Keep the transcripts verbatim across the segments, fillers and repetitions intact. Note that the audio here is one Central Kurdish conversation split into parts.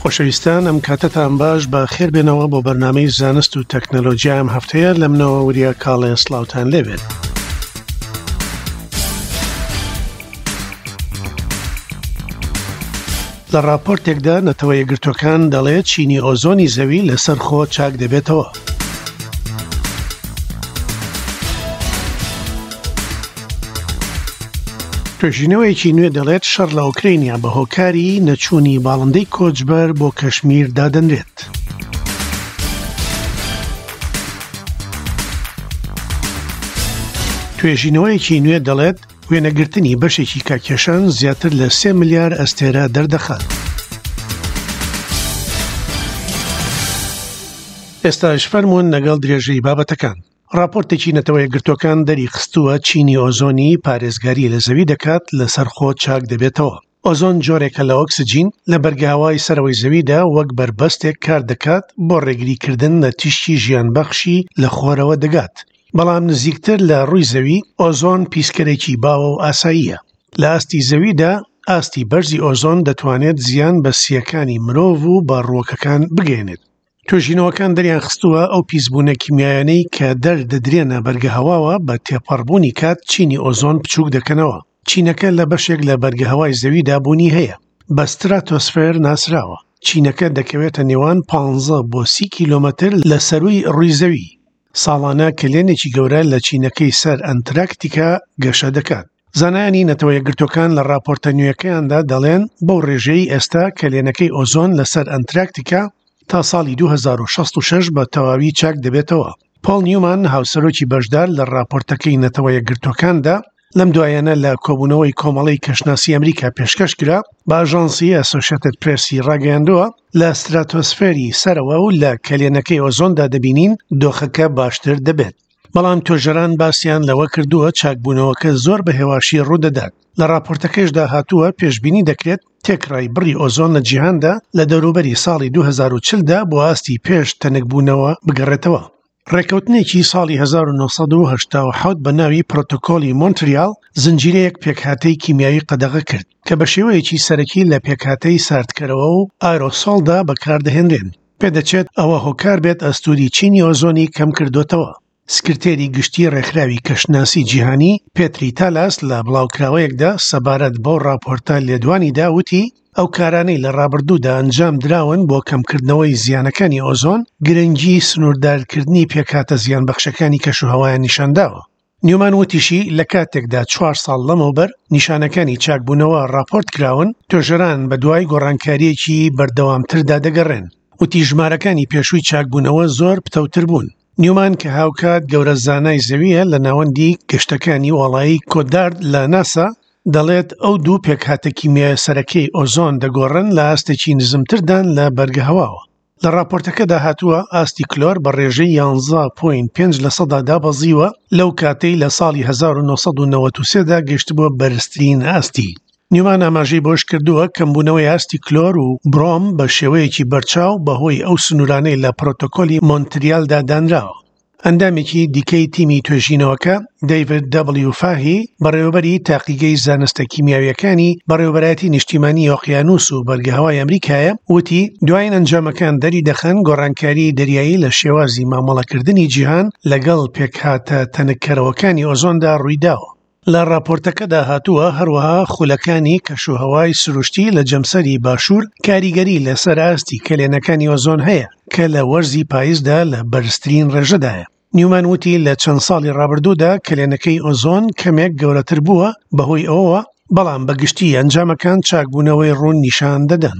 خۆشەویستان، ئەم کاتەتان باش، بە خێربێنەوە بۆ بەرنامەی زانست و تەکنەلۆژیا. ئەم هەفتەیە لە منەوە وریا کاڵێ سڵاوتان لێبێت. لە ڕاپۆرتێکدا نەتەوە یەکگرتووەکان دەڵێت چینی ئۆزۆنی زەوی لەسەر خۆ چاک دەبێتەوە. توێژینەوەیەکی نوێ دەڵێت شەڕ لە ئۆکرینیا بە هۆکاری نەچوونی باڵندەی کۆچبەر بۆ کەشمیر دادەنرێت. توێژینەوەیەکی نوێ دەڵێت وێنەگرتنی بەشێکی کاکێشان زیاتر لە سێ ملیار ئەستێرە دەردەخات. ئێستاش فەرمونون لەگەڵ درێژەی بابەتەکان. ڕاپۆرتێکی نەتەوە یەکگرتووەکان دەری خستووە چینی ئۆزۆنی پارێزگاری لە زەوی دەکات لەسەر خۆ چاک دەبێتەوە. ئۆزۆن جۆرێکە لە ئۆکسجین لە بەرگەهەوای سەرەوەی زەویدا وەک بەربەستێک کار دەکات بۆ ڕێگریکردن لە تیشکی ژیانبەخشی لە خۆرەوە دەگات. بەڵام نزیکتر لە ڕووی زەوی ئۆزۆن پیسکەرێکی باوە و ئاساییە. لە ئاستی زەویدا ئاستی بەرزی ئۆزۆن دەتوانێت زیان بە سیەکانی مرۆڤ و بە ڕووەکەکان بگەێنێت. توێژینەوەکان دەریان خستووە ئەو پیسبوونە کیمیایانەی کە دەردەدرێنە بەرگەهەواوە بە تێپەڕبوونی کات چینی ئۆزۆن بچووک دەکەنەوە. چینەکە لە بەشێک لە بەرگەهەوای زەویدا بوونی هەیە، بە ستراتۆسفێر ناسراوە. چینەکە دەکەوێتە نێوان پانزە بۆ سی کیلۆمەتر لە سەرووی ڕووی زەوی. ساڵانە کەلێنێکی گەورە لە چینەکەی سەر ئەنتراکتیکا گەشە دەکات. زانایانی نەتەوە یەکگرتووەکان لە ڕاپۆرتە نوێیەکەیاندا دەڵێن بەو ڕێژەی ئێستا کەلێنەکەی ئۆزۆن لەسەر ئەنتراکتیکا تا ساڵی دوو هەزار و شەست و شەش بە تەواوی چاک دەبێتەوە. پۆڵ نیومان هاوسەرۆکی بەشدار لە ڕاپۆرتەکەی نەتەوە یەکگرتووەکاندا لەم دوایانە لە کۆبوونەوەی کۆمەڵەی کەشناسی ئەمریکا پێشکەش کرا بە ئاژانسی ئەسۆشیتد پرێسی ڕاگەیاندووە لە ستراتۆسفێری سەرەوە و لە کەلێنەکەی ئۆزۆندا دەبینین دۆخەکە باشتر دەبێت. بەڵام توێژەران باسییان لەوە کردووە چاکبوونەوەکە زۆر بە هێواشی ڕوودەدات. لە ڕاپۆرتەکەشدا هاتووە پێشبینی دەکرێت تێکڕای بڕی ئۆزۆن لە جیهاندا لە دەوروبەری ساڵی دوو هەزار و چل دا بۆ ئاستی پێش تەنکبوونەوە بگەڕێتەوە. ڕێککەوتنێکی ساڵی هەزار و نۆ سەد و هەشتا و حەوت بە ناوی پرۆتۆکۆلی مۆنتریال زنجیرەیەک پێکهاتەی کیمیاوی قەدەغە کرد کە بە شێوەیەکی سەرەکی لە پێکهاتەی ساردکەرەوە و ئایرۆسۆڵدا بەکاردەهێنرێن. پێدەچێت ئەوە هۆکار بێت ئەستوری چینی ئۆزۆنی کەم کردوتەوە. سکرتێری گشتی ڕێکخراوی کەشناسی جیهانی پێتری تالاس لە بڵاوکراوەیەکدا سەبارەت بەو ڕاپۆرتە لێدوانیدا وتی ئەو کارانەی لە ڕابردوودا ئەنجام دراون بۆ کەمکردنەوەی زیانەکانی ئۆزۆن گرنگی سنووردارکردنی پێکهاتە زیانبەخشەکانی کەشوهەوایان نیشانداوە. نیومان وتیشی لە کاتێکدا چوار ساڵ لەمەوبەر نیشانەکانی چاکبوونەوە ڕاپۆرت کراون، توێژەران بە دوای گۆڕانکاریەکی بەردەوامتردا دەگەڕێن. وتی ژمارەکانی پێشووی چاکبوونەوە زۆر پتەوتر بوون. نیومان کە هاوکات گەورە زانای زەویە لە ناوەندی گەشتەکانی وڵایی کۆدارد لە ناسا دەڵێت ئەو دوو پێکهاتە کیمیایە سەرەکەی ئۆزۆن دەگۆڕن لە ئاستێکی نزمتردان لە بەرگەهەواوە. لە ڕاپۆرتەکەدا هاتووە ئاستی کلۆر بە ڕێژەی یانزە پۆینت پێنج لە سەدا دابەزیوە لەو کاتەی لە ساڵی هەزار و نۆ سەد و نەوەت و سێدا گەیشتبووە بەرزترین ئاستی. نیومان ئاماژەی بۆش کردووە کەمبوونەوەی ئاستی کلۆر و برۆم بە شێوەیەکی بەرچاو بەهۆی ئەو سنوورانەی لە پرۆتۆکۆلی مۆنتریالدا دانراوە. ئەندامێکی دیکەی تیمی توێژینەوەکە دەیڤد دەبلیو فاهی بەڕێوەبەری تاقیگەی زانستە کیمیاویەکانی بەڕێوەبەرایەتی نیشتیمانی ئۆقیانوس و بەرگەهەوای ئەمریکایە وتی دوایین ئەنجامەکان دەری دەخەن گۆڕانکاری دەریایی لە شێوازی مامەڵەکردنی جیهان لەگەڵ پێکهاتە تەنککەرەوەکانی ئۆزۆندا ڕوویداوە. لە ڕاپۆرتەکەدا هاتووە هەروەها خولەکانی کەشوهەوای سروشتی لە جەمسەری باشوور کاریگەری لەسەر ئاستی کەلێنەکانی ئۆزۆن هەیە کە لە وەرزی پاییزدا لە بەرزترین ڕێژەدایە. نیومان وتی لە چەند ساڵی ڕابردوودا کەلێنەکەی ئۆزۆن کەمێک گەورەتر بووە بەهۆی ئەوەوە، بەڵام بەگشتی ئەنجامەکان چاکبوونەوەی ڕوون نیشان دەدەن.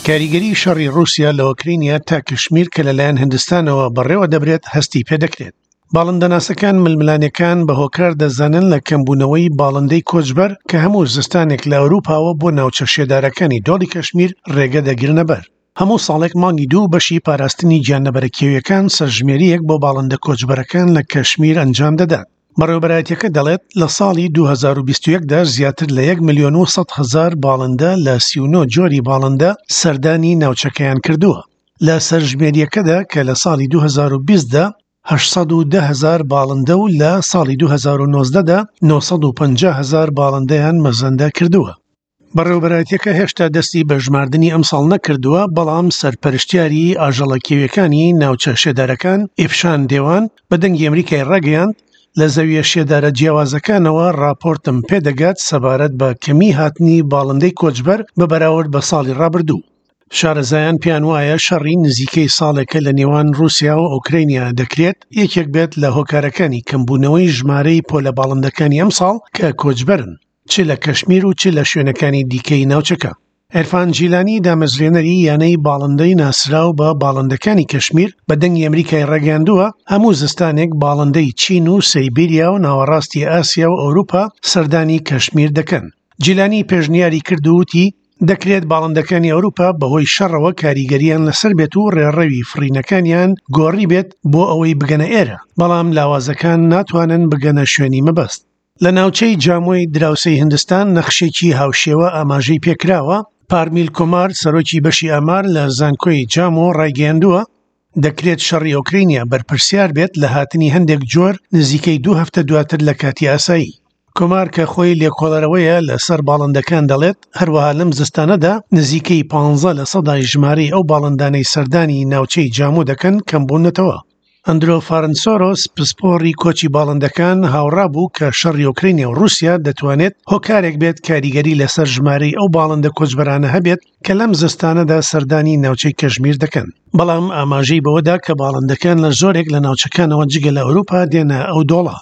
کاریگەری شەڕی ڕووسیا لە ئۆکرینیا تا کشمیر کە لەلایەن هندستانەوە بەڕێوە دەبرێت هەستی پێدەکرێت. باڵندەناسەکان ململانێکان بە هۆکار دەزانن لە کەمبوونەوەی باڵندەی کۆچبەر کە هەموو زستانێک لە ئەوروپاوە بۆ ناوچە شێدارەکانی دۆڵی کەشمیر ڕێگە دەگرنە بەر. هەموو ساڵێک مانگی دوو بەشی پاراستنی گیانلەبەرە کێویەکان سەرژمێریەک بۆ باڵندە کۆچبەرەکان لە کەشمیر ئەنجام دەدات. بەڕێوەبەرایەتیەکە دەڵێت لە ساڵی دوو هەزار و بیست و یەک دا زیاتر لە یەک ملیۆن و سەد هەزار باڵندە لە سی و نۆ جۆری باڵندە سەردانی ناوچەکەیان کردووە. لە سەرژمێریەکەدا کە لە ساڵی دوو هەزار و بیست دا هەشت سەد و دە هەزار باڵندە و لە ساڵی دوو هەزار و نۆزدە دا نۆ سەد و پەنجا هەزار باڵندەیان مەزەندە کردووە. بەڕێوەبەرایەتیەکە هێشتا دەستی بە ژماردنی ئەمساڵ نەکردووە، بەڵام سەرپەرشتیاری ئاژەڵە کێویەکانی ناوچە شێدارەکان ئیفشان دێوان بە دەنگی ئەمریکای ڕاگەیاند، لە زەویە شێدارە جیاوازەکانەوە ڕاپۆرتم پێدەگات سەبارەت بە کەمی هاتنی باڵندەی کۆچبەر بە بەراورد بە ساڵی ڕابردوو. شارەزایان پێیان وایە شەڕی نزیکەی ساڵێکە لە نێوان ڕووسیا و ئۆکرانیا دەکرێت یەکێک بێت لە هۆکارەکانی کەمبوونەوەی ژمارەی پۆلە باڵندەکانی ئەمساڵ کە کۆچبەرن، چ لە کەشمیر و چ لە شوێنەکانی دیکەی ناوچەکە. عیرفان جیلانی دامەزرێنەری یانەی باڵندەی ناسراو بە باڵندەکانی کەشمیر بە دەنگی ئەمریکای ڕاگەیاندووە، هەموو زستانێک باڵندەی چین و سەیبیریا و ناوەڕاستی ئاسیا و ئەوروپا سەردانی کەشمیر دەکەن. جیلانی پێشنیاری کرد و وتی، دەکرێت باڵندەکانی ئەوروپا بەهۆی شەڕەوە کاریگەریان لەسەر بێت و ڕێڕەوی فڕینەکانیان گۆڕی بێت بۆ ئەوەی بگەنە ئێرە، بەڵام لاوازەکان ناتوانن بگەنە شوێنی مەبەست. لە ناوچەی جامۆی دراوسێی هندستان نەخشێکی هاوشێوە ئاماژەی پێکراوە. پارمیل کۆمار سەرۆکی بەشی ئامار لە زانکۆی جامۆ ڕایگەیاندووە، دەکرێت شەڕی ئۆکرینیا بەرپرسیار بێت لە هاتنی هەندێک جۆر نزیکەی دوو هەفتە دواتر لە کاتی ئاسایی. کۆمار کە خۆی لێکۆڵەرەوەیە لەسەر باڵندەکان دەڵێت، هەروەها لەم زستانەدا نزیکەی پانزە لە سەدای ژمارەی ئەو باڵندانەی سەردانی ناوچەی جامۆ دەکەن کەمبوونەتەوە. ئەندرۆ فارنسۆرۆس پسپۆڕی کۆچی باڵندەکان هاوڕا بوو کە شەڕی ئۆکرانیا و ڕووسیا دەتوانێت هۆکارێک بێت کاریگەری لەسەر ژمارەی ئەو باڵندە کۆچبەرانە هەبێت کە لەم زستانەدا سەردانی ناوچەی کەشمیر دەکەن، بەڵام ئاماژەی بەوەدا کە باڵندەکان لە زۆرێک لە ناوچەکانەوە جگە لە ئەوروپا دێنە ئەو دۆڵە.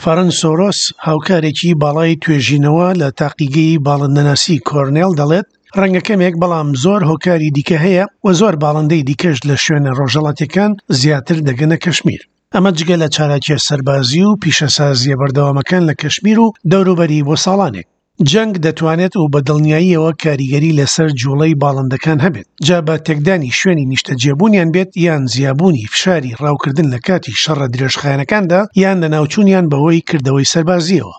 فارنسۆرۆس هاوکارێکی باڵای توێژینەوە لە تاقیگەی باڵندەناسی کۆرنێل دەڵێت، ڕەنگە کەمێک بەڵام زۆر هۆکاری دیکە هەیە و زۆر باڵندەی دیکەش لە شوێنە ڕۆژهەڵاتیەکان زیاتر دەگەنە کەشمیر. ئەمە جگە لە چالاکیە سەربازی و پیشەسازیە بەردەوامەکان لە کەشمیر و دەوروبەری بۆ ساڵانێک. جەنگ دەتوانێت و بە دڵنیاییەوە کاریگەری لەسەر جوڵەی باڵندەکان هەبێت، جا بە تێکدانی شوێنی نیشتەجێبوونیان بێت یان زیابوونی فشاری ڕاوکردن لە کاتی شەڕە درێژخایەنەکاندا یان لەناوچوونیان بەهۆی کردەوەی سەربازیەوە.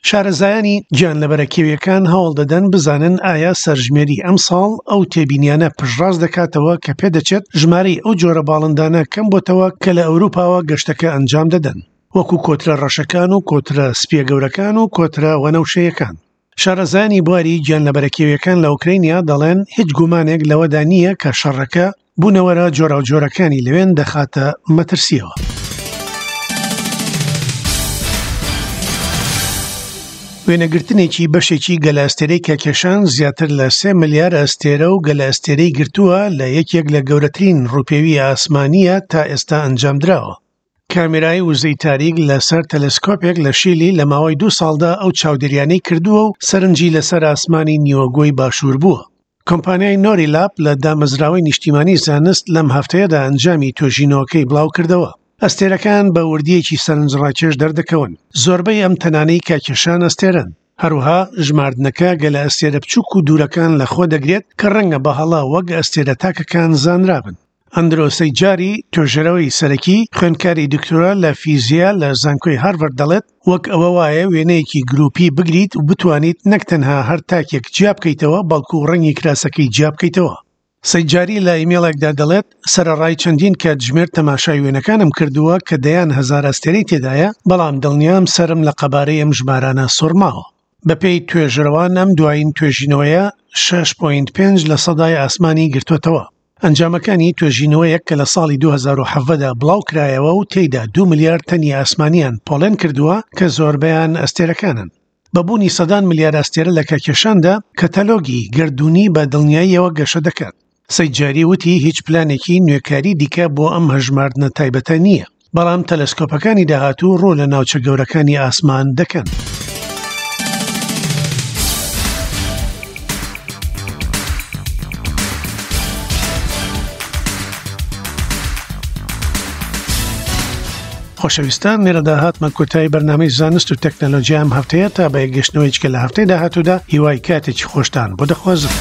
شارەزایانی گیانلەبەرە کێویەکان هەوڵ دەدەن بزانن ئایا سەرژمێری ئەمساڵ ئەو تێبینیانە پشتڕاست دەکاتەوە کە پێدەچێت ژمارەی ئەو جۆرە باڵندانە کەم بۆتەوە کە لە ئەوروپاوە گەشتەکە ئەنجام دەدەن، وەکو کۆترە ڕەشەکان و کۆترە سپیە گەورەکان و کۆترە وەنەوشەیەکان. شارەزایانی بواری گیانلەبەرە کێویەکان لە ئۆکرانیا دەڵێن هیچ گومانێک لەوەدا نییە کە شەڕەکە بوونەوەرە جۆراوجۆرەکانی لەوێن دەخاتە مەترسیەوە. وێنەگرتنێکی بەشێکی گەلە ئەستێرەی کاکێشان زیاتر لە سێ ملیار ئەستێرە و گەلە ئەستێرەی گرتووە لە یەکێک لە گەورەترین ڕووپێوی ئاسمانیە تا ئێستا ئەنجامدراوە. کامێرای وزەی تاریک لەسەر تەلەسکۆپێک لە شیلی لە ماوەی دوو ساڵدا ئەو چاودێریانەی کردووە و سەرنجی لەسەر ئاسمانی نیوەگۆی باشوور بووە. کۆمپانیای نۆری لاپ لە دامەزراوەی نیشتیمانی زانست لەم هەفتەیەدا ئەنجامی توێژینەوەکەی بڵاو کردەوە. ئەستێرەکان بە وردیەکی سەرنجڕاکێش دەردەکەون. زۆربەی ئەم تەنانەی کاکێشان ئەستێرەن. هەروەها ژماردنەکە گەلە ئەستێرە بچووک و دوورەکان لە خۆ دەگرێت کە ڕەنگە بە هەڵە وەک ئەستێرە تاکەکان زانرابن. ئەندرۆ سەیجاری توێژەرەوەی سەرەکی خوێندکاری دکتۆرا لە فیزیا لە زانکۆی هارڤارد دەڵێت، وەک ئەوە وایە وێنەیەکی گروپی بگریت و بتوانیت نەک تەنها هەر تاکێک جیا بکەیتەوە بەڵکو ڕەنگی کراسەکەی جیا بکەیتەوە. سەیجاری لە ئیمێڵێکدا دەڵێت، سەرەڕای چەندین کاتژمێر تەماشای وێنەکانم کردووە کە دەیان هەزار ئەستێرەی تێدایە، بەڵام دڵنیام سەرم لە قەبارەی ئەم ژمارانە سوڕماوە. بەپێی توێژەرەوان ئەم دوایین توێژینەوەیە شەش پۆینت پێنج لە سەدای ئاسمانی گرتووەتەوە. ئەنجامەکانی توێژینەوەیەک کە لە ساڵی دوو هەزار و حەڤدە دا بڵاو کرایەوە و تێیدا دوو ملیار تەنی ئاسمانیان پۆڵێن کردووە کە زۆربەیان ئەستێرەکانن. بە بوونی سەدان ملیار ئەستێرە لە کاکێشاندا، کەتەلۆگی گەردوونی بە دڵنیاییەوە گەشە دەکات. سەیجاری وتی هیچ پلانێکی نوێکاری دیکە بۆ ئەم هەژماردنە تایبەتە نییە، بەڵام تەلەسکۆپەکانی داهاتوو ڕوو لە ناوچە گەورەکانی ئاسمان دەکەن. خۆشەویستان، لێرەدا هاتمە کۆتایی بەرنامەی زانست و تەکنەلۆژیا ئەم هەفتەیە. تا بە یەکگەشتنەوەی چکە لە هەفتەی داهاتوودا هیوای کاتێکی خۆشتان بۆ دەخوازم.